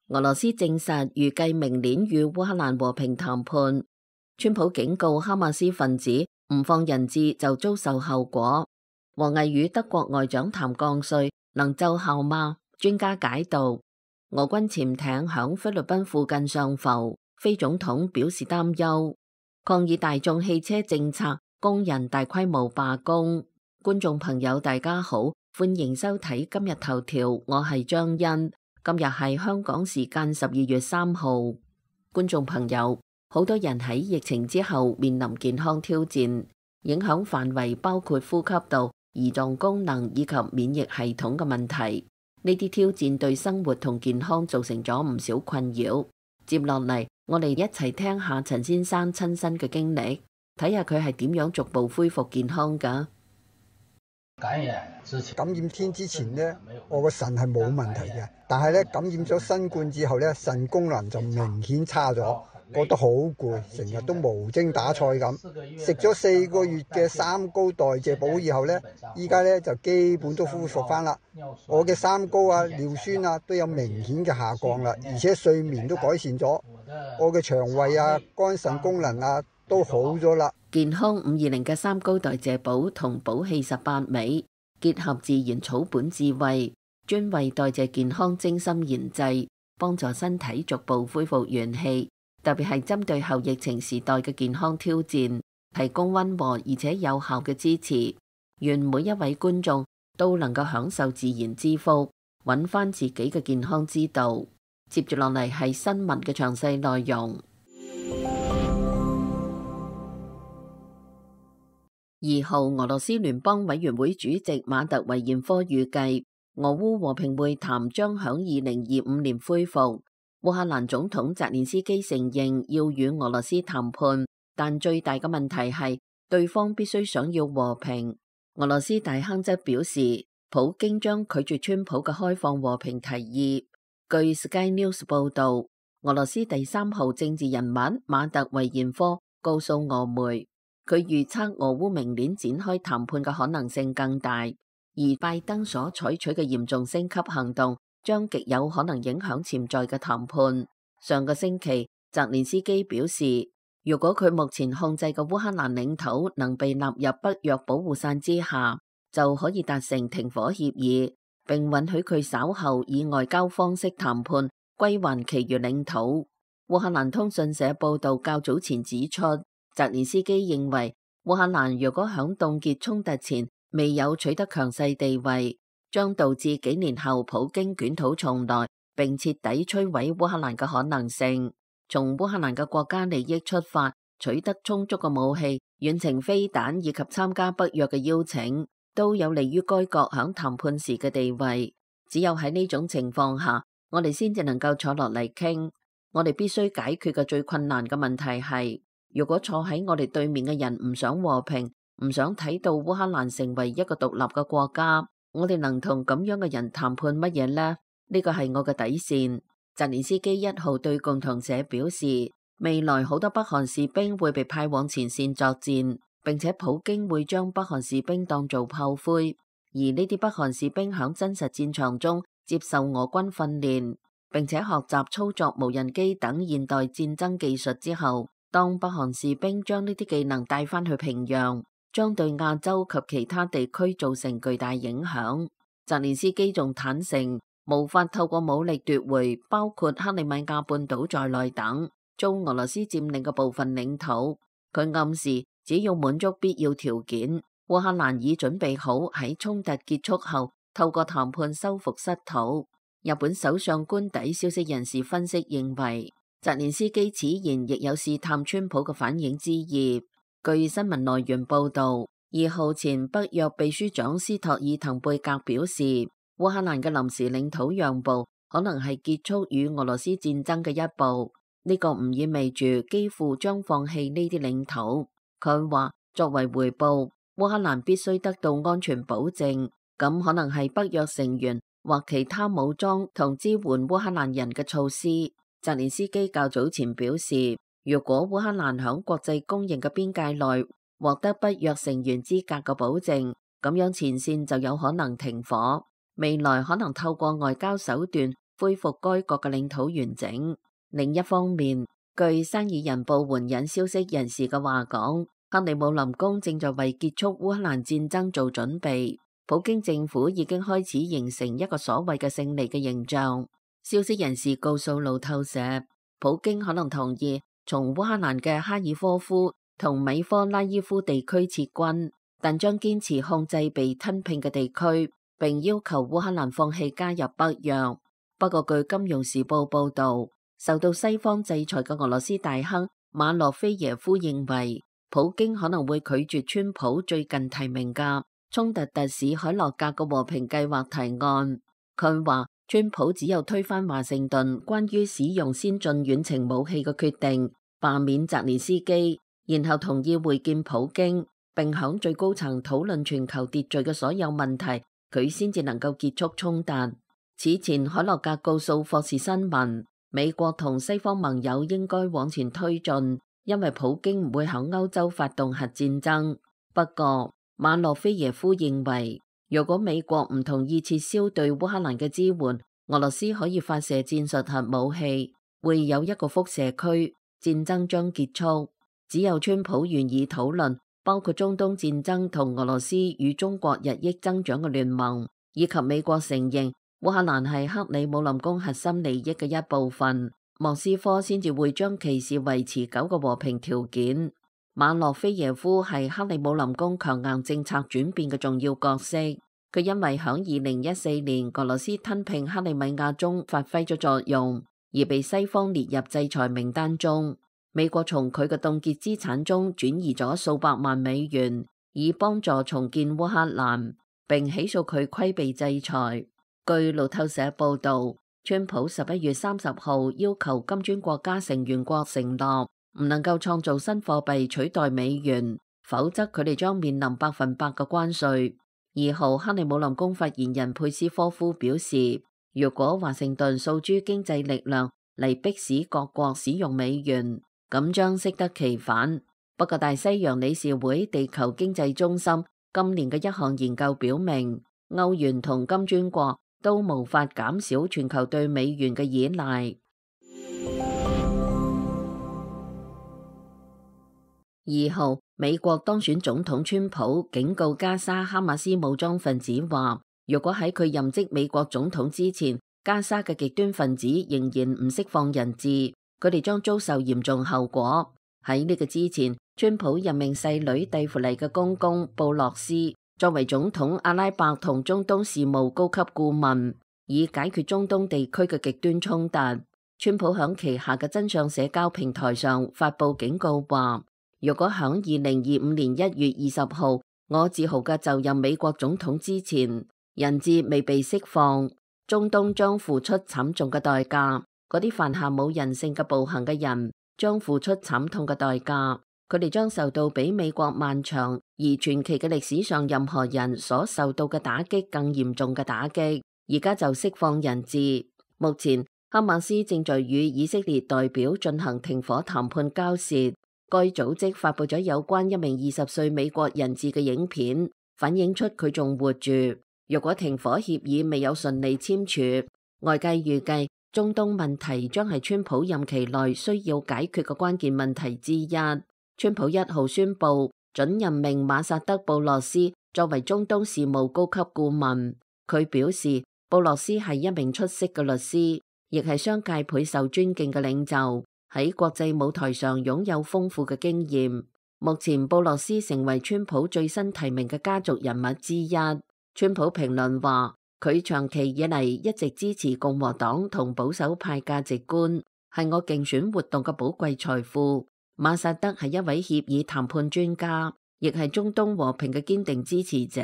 俄羅斯證實預計明年與烏克蘭和平談判。川普警告哈馬斯分子唔放人質就遭受後果。王毅與德國外長談降稅能奏效嗎？專家解讀。俄軍潛艇響菲律賓附近上浮，菲總統表示擔憂。抗議大眾汽車政策，工人大規模罷工。觀眾朋友大家好，歡迎收睇今日頭條，我係張欣。今日係香港時間12月3號。觀眾朋友，好多人喺疫情之後面臨健康挑戰，影響範圍包括呼吸道、胰臟功能以及免疫系統嘅問題。呢啲挑戰對生活同健康造成咗唔少困擾。接落嚟，我哋一齊聽下陳先生親身嘅經歷，睇下佢係點樣逐步恢復健康㗎。感染天之前呢，我個腎係冇問題嘅，但係咧感染咗新冠之後咧，腎功能就明顯差咗，覺得好攰，成日都無精打采咁。食咗4個月嘅三高代謝補以後咧，依家咧就基本都恢復翻啦。我嘅三高啊、尿酸啊都有明顯嘅下降啦，而且睡眠都改善咗。我嘅腸胃啊、肝腎功能啊都好咗啦。健康520嘅三高代謝補同補氣18味，結合自然草本智慧，專為代謝健康精心研製，幫助身體逐步恢復元氣。特別係針對後疫情時代嘅健康挑戰，提供溫和而且有效嘅支持。願每一位觀眾都能夠享受自然之福，揾翻自己嘅健康之道。接住落嚟係新聞嘅詳細內容。2號，俄羅斯聯邦委員會主席馬特維延科預計，俄烏和平會談將響2025年恢復。烏克蘭總統澤連斯基承認要與俄羅斯談判，但最大嘅問題係對方必須想要和平。俄羅斯大亨則表示，普京將拒絕川普嘅開放和平提議。據 Sky News 報道，俄羅斯第3號政治人物馬特維延科告訴俄媒，佢預測俄烏明年展開談判嘅可能性更大，而拜登所採取嘅嚴重升級行動將極有可能影響潛在嘅談判。上個星期，澤連斯基表示，如果佢目前控制嘅烏克蘭領土能被納入北約保護傘之下，就可以達成停火協議，並允許佢稍後以外交方式談判歸還其餘領土。烏克蘭通訊社報道較早前指出，澤連斯基認為烏克蘭如果響凍結衝突前未有取得強勢地位，將導致幾年後普京捲土重來並徹底摧毀烏克蘭嘅可能性。從烏克蘭嘅國家利益出發，取得充足嘅武器、遠程飛彈以及參加北約嘅邀請，都有利於該國響談判時嘅地位。只有喺呢種情況下，我哋先至能夠坐落嚟傾。我哋必須解決嘅最困難嘅問題係，如果坐喺我哋對面嘅人唔想和平，唔想睇到烏克蘭成為一個獨立嘅國家，我哋能同咁樣嘅人談判乜嘢呢？呢個係我嘅底線。澤連斯基1號對共同社表示，未來好多北韓士兵會被派往前線作戰，並且普京會將北韓士兵當做炮灰，而呢啲北韓士兵響真實戰場中接受俄軍訓練，並且學習操作無人機等現代戰爭技術之後，當北韓士兵將呢啲技能帶返去平壤，將對亞洲及其他地區造成巨大影響。澤連斯基仲坦承，無法透過武力奪回包括克里米亞半島在內等遭俄羅斯佔領嘅部分領土。佢暗示，只要滿足必要條件，烏克蘭已準備好喺衝突結束後透過談判收復失土。日本首相官邸消息人士分析認為，澤連斯基此言亦有試探川普嘅反應之意。據新聞來源報道，2號前北約秘書長斯托爾滕貝格表示，烏克蘭嘅臨時領土讓步可能係結束與俄羅斯戰爭嘅一步，呢個唔意味住幾乎將放棄呢啲領土。佢話作為回報，烏克蘭必須得到安全保證，咁可能係北約成員或其他武裝同支援烏克蘭人嘅措施。澤連斯基較早前表示，如果烏克蘭響國際公認嘅邊界內獲得北約成員資格嘅保證，咁樣前線就有可能停火。未來可能透過外交手段恢復該國嘅領土完整。另一方面，據《生意人報》援引消息人士嘅話講，克里姆林宮正在為結束烏克蘭戰爭做準備。普京政府已經開始形成一個所謂嘅勝利嘅形象。消息人士告訴路透社，普京可能同意從烏克蘭嘅哈爾科夫同米科拉伊夫地區撤軍，但將堅持控制被吞併嘅地區，並要求烏克蘭放棄加入北約。不過據《金融時報》報導，受到西方制裁嘅俄羅斯大亨馬洛菲耶夫認為，普京可能會拒絕川普最近提名嘅衝突特使海洛格嘅和平計劃提案。佢話川普只有推翻華盛頓關於使用先進遠程武器嘅決定，罷免澤連斯基，然後同意會見普京，並響最高層討論全球秩序嘅所有問題，佢先至能夠結束衝突。此前海洛格告訴霍士新聞，美國同西方盟友應該往前推進，因為普京唔會響歐洲發動核戰爭。不過馬洛菲耶夫認為，如果美國唔同意撤銷對烏克蘭嘅支援，俄羅斯可以發射戰術核武器，會有一個輻射區，戰爭將結束。只有川普願意討論包括中東戰爭同俄羅斯與中國日益增長嘅聯盟，以及美國承認烏克蘭係克里姆林宮核心利益嘅一部分，莫斯科先至會將其視為持久嘅和平條件。馬洛菲耶夫係克里姆林宮強硬政策轉變嘅重要角色，佢因為響2014年俄羅斯吞併克里米亞中發揮咗作用，而被西方列入制裁名單中。美國從佢嘅凍結資產中轉移咗數百萬美元，以幫助重建烏克蘭，並起訴佢規避制裁。據路透社報道，川普11月30號要求金磚國家成員國承諾唔能夠創造新貨幣取代美元，否則佢哋將面臨100%嘅關稅。2號克里姆林宮發言人佩斯科夫表示，如果華盛頓訴諸經濟力量嚟迫使各國使用美元，咁將適得其反。不過大西洋理事會地球經濟中心今年嘅一項研究表明，歐元同金磚國都無法減少全球對美元嘅依賴。2號，美國當選總統川普警告加沙哈馬斯武裝分子話，如果喺佢任職美國總統之前，加沙嘅極端分子仍然唔釋放人質，佢哋將遭受嚴重後果。喺呢個之前，川普任命細女蒂芙尼嘅公公布洛斯作為總統阿拉伯同中東事務高級顧問，以解決中東地區嘅極端衝突。川普響旗下嘅真相社交平台上發佈警告話，如果響2025年1月20號我自豪嘅就任美國總統之前，人質未被釋放，中東將付出慘重嘅代價。嗰啲犯下冇人性嘅暴行嘅人將付出慘痛嘅代價，佢哋將受到比美國漫長而傳奇嘅歷史上任何人所受到嘅打擊更嚴重嘅打擊。而家就釋放人質。目前哈馬斯正在與以色列代表進行停火談判交涉。該組織發佈咗有關一名20歲美國人質嘅影片，反映出佢仲活住。若果停火協議未有順利簽署，外界預計中東問題將係川普任期內需要解決嘅關鍵問題之一。川普1號宣布准任命馬薩德布洛斯作為中東事務高級顧問。佢表示，布洛斯係一名出色嘅律師，亦係商界倍受尊敬嘅領袖，喺國際舞台上擁有豐富嘅經驗。目前布洛斯成為川普最新提名嘅家族人物之一。川普評論話，佢長期以嚟一直支持共和黨同保守派價值觀，係我競選活動嘅寶貴財富。馬薩德係一位協議談判專家，亦係中東和平嘅堅定支持者。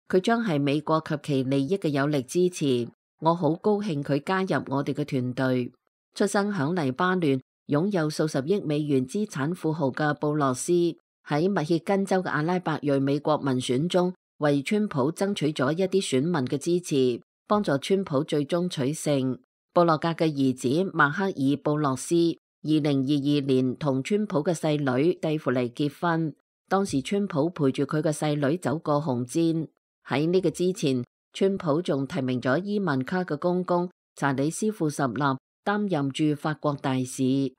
佢將係美國及其利益嘅有力支持。我好高興佢加入我哋嘅團隊。出生響黎巴嫩，擁有數十億美元資產富豪嘅布洛斯，喺密歇根州嘅阿拉伯裔美國民選中，為川普爭取咗一啲選民嘅支持，幫助川普最終取勝。布洛格嘅兒子邁克爾布洛斯2022年同川普嘅細女蒂芙尼結婚，當時川普陪住佢嘅細女走過紅毯。喺呢個之前，川普仲提名咗伊萬卡嘅公公查理斯庫什納擔任駐法國大使。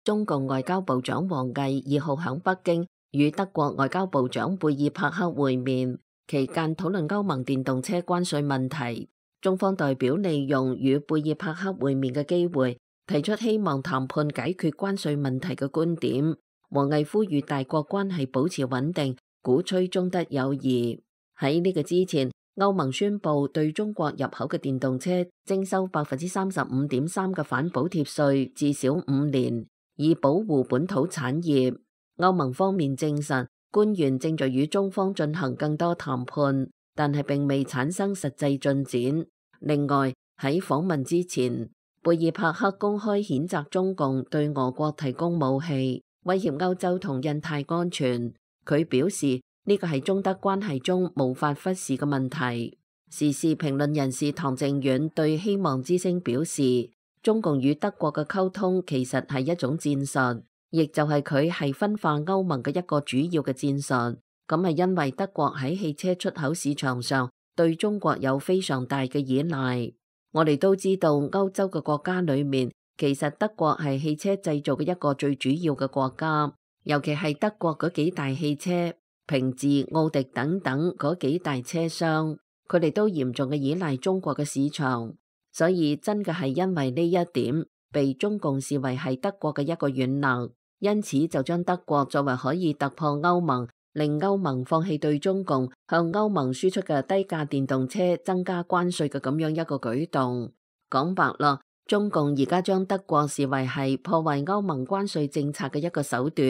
中共外交部長王毅2號響北京與德國外交部長貝爾帕克會面，期間討論歐盟電動車關稅問題。中方代表利用與貝爾帕克會面嘅機會，提出希望談判解決關稅問題嘅觀點。王毅呼籲大國關係保持穩定，鼓吹中德友誼。喺呢個之前，歐盟宣布對中國入口嘅電動車徵收35.3%嘅反補貼稅，至少5年，以保護本土產業。歐盟方面證實，官員正在與中方進行更多談判，但係並未產生實際進展。另外，喺訪問之前，貝爾帕克公開譴責中共對俄國提供武器，威脅歐洲同印太安全。佢表示呢個係中德關係中無法忽視嘅問題。時事評論人士唐靖遠對希望之聲表示，中共與德國嘅溝通其實係一種戰術，亦就係佢係分化歐盟嘅一個主要嘅戰術。咁係因為德國喺汽車出口市場上對中國有非常大嘅依賴。我哋都知道歐洲嘅國家裏面，其實德國係汽車製造嘅一個最主要嘅國家，尤其係德國嗰幾大汽車，平治、奧迪等等嗰幾大車商，佢哋都嚴重嘅依賴中國嘅市場。所以真嘅係因為呢一點，被中共視為係德國嘅一個軟肋，因此就將德國作為可以突破歐盟，令歐盟放棄對中共向歐盟輸出嘅低價電動車增加關稅嘅咁樣一個舉動。講白啦，中共而家將德國視為係破壞歐盟關稅政策嘅一個手段。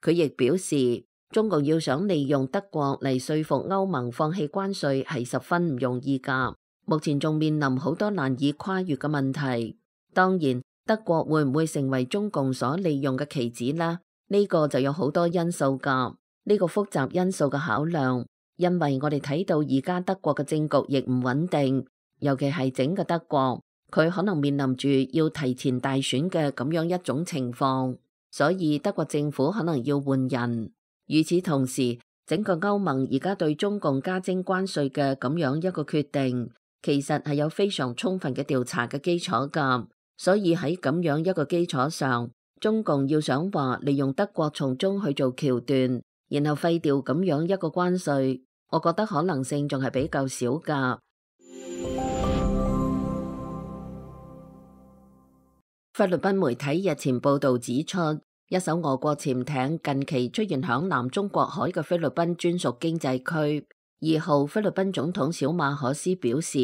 佢亦表示，中共要想利用德國嚟說服歐盟放棄關稅係十分唔容易㗎。目前仲面臨好多難以跨越嘅問題。當然，德國會唔會成為中共所利用嘅棋子呢？呢個就有好多因素㗎。呢個複雜因素嘅考量，因為我哋睇到而家德國嘅政局亦唔穩定，尤其係整個德國，佢可能面臨住要提前大選嘅咁樣一種情況，所以德國政府可能要換人。與此同時，整個歐盟而家對中共加徵關稅嘅咁樣一個決定，其實係有非常充分嘅調查嘅基礎㗎。所以喺咁樣一個基礎上，中共要想話利用德國從中去做橋段，然後廢掉咁樣一個關稅，我覺得可能性仲係比較少㗎。菲律賓媒體日前報導指出，一艘俄國潛艇近期出現響南中國海嘅菲律賓專屬經濟區。2號菲律賓總統小馬可斯表示，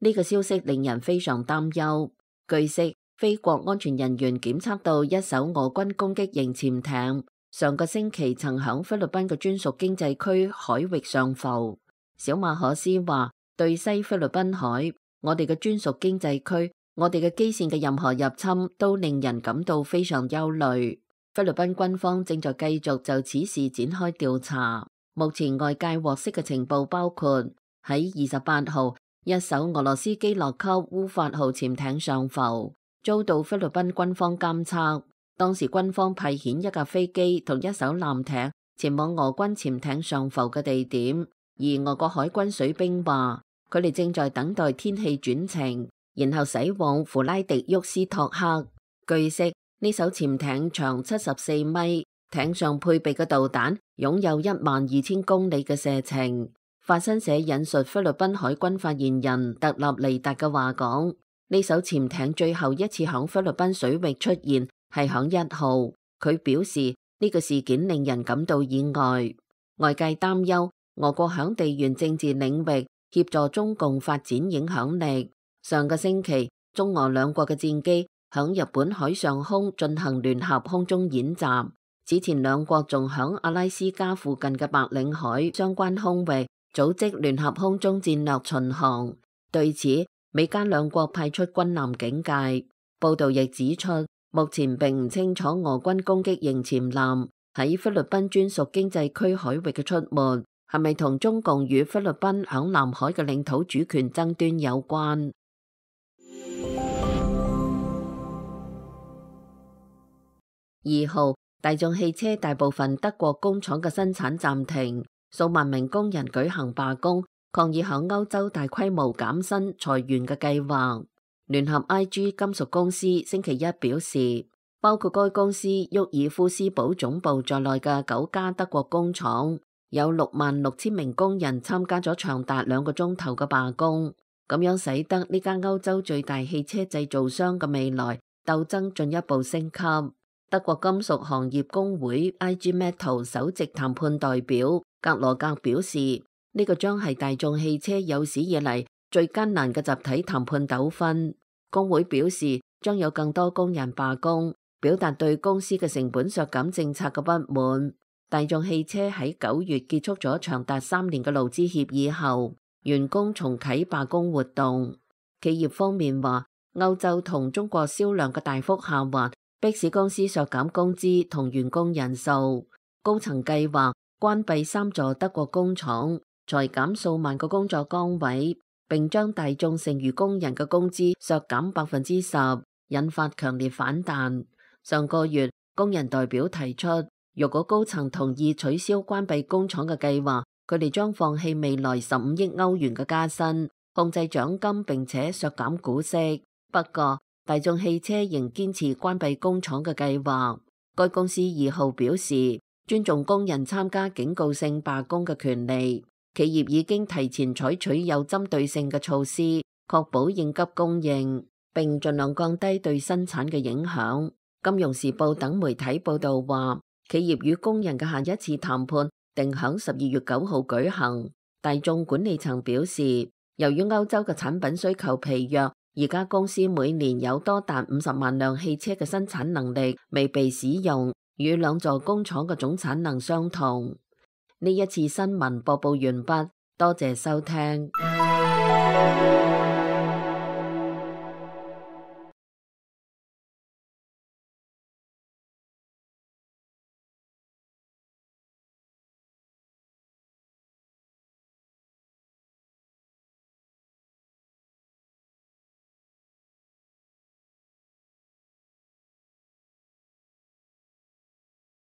呢個消息令人非常擔憂。據悉，菲國安全人員檢測到一艘俄軍攻擊型潛艇，上個星期曾響菲律賓嘅專屬經濟區海域上浮。小馬可斯話，對西菲律賓海，我哋嘅專屬經濟區，我哋嘅基線嘅任何入侵都令人感到非常憂慮。菲律賓軍方正在繼續就此事展開調查。目前外界獲悉嘅情報包括喺28號，一艘俄羅斯基洛級烏法號潛艇上浮，遭到菲律賓軍方監測。當時軍方派遣一架飛機同一艘艦艇前往俄軍潛艇上浮嘅地點，而俄國海軍水兵話佢哋正在等待天氣轉晴，然後駛往弗拉迪沃斯托克。據悉，呢艘潛艇長74米，艇上配備嘅導彈擁有12000公里嘅射程。法新社引述菲律賓海軍發言人特納尼達嘅話講，呢艘潛艇最後一次響菲律賓水域出現係響1號。佢表示呢個事件令人感到意外。外界擔憂俄國響地緣政治領域協助中共發展影響力。上個星期，中俄兩國嘅戰機響日本海上空進行聯合空中演習。此前兩國仲響阿拉斯加附近嘅白令海相關空域組織聯合空中戰略巡航。對此，美加兩國派出軍艦警戒。報道亦指出，目前並唔清楚俄軍攻擊型潛艦喺菲律賓專屬經濟區海域嘅出沒係咪同中共與菲律賓響南海嘅領土主權爭端有關。2號，大眾汽車大部分德國工廠嘅生產暫停，數萬名工人舉行罷工，抗議響歐洲大規模減薪裁員嘅計劃。聯合 IG 金屬公司星期一表示，包括該公司沃爾夫斯堡總部在內嘅9家德國工廠，有66000名工人參加咗長達2個鐘頭嘅罷工，咁樣使得呢間歐洲最大汽車製造商嘅未來鬥爭進一步升級。德國金屬行業工會 IG Metall 首席談判代表格羅格表示，呢個將係大眾汽車有史以嚟最艱難嘅集體談判糾紛。工會表示將有更多工人罷工，表達對公司嘅成本削減政策嘅不滿。大眾汽車喺9月結束咗長達3年嘅勞資協議後，員工重啟罷工活動。企業方面話，歐洲同中國銷量嘅大幅下滑，迫使公司削減工資同員工人數。高層計劃關閉3座德國工廠，裁減數萬個工作崗位，並將大眾剩餘工人嘅工資削減10%，引發強烈反彈。上個月，工人代表提出，如果高層同意取消關閉工廠嘅計劃，佢哋將放棄未來15億歐元嘅加薪，控制獎金並且削減股息。不過，大眾汽車仍堅持關閉工廠嘅計劃。該公司2號表示，尊重工人參加警告性罷工嘅權利。企業已經提前採取有針對性嘅措施，確保應急供應，並盡量降低對生產嘅影響。金融時報等媒體報道話，企業與工人嘅下一次談判定響12月9號舉行。大眾管理層表示，由於歐洲嘅產品需求疲弱，而家公司每年有多達50萬輛汽車嘅生產能力未被使用，與2座工廠嘅總產能相同。呢一次新聞播報完畢，多謝收聽。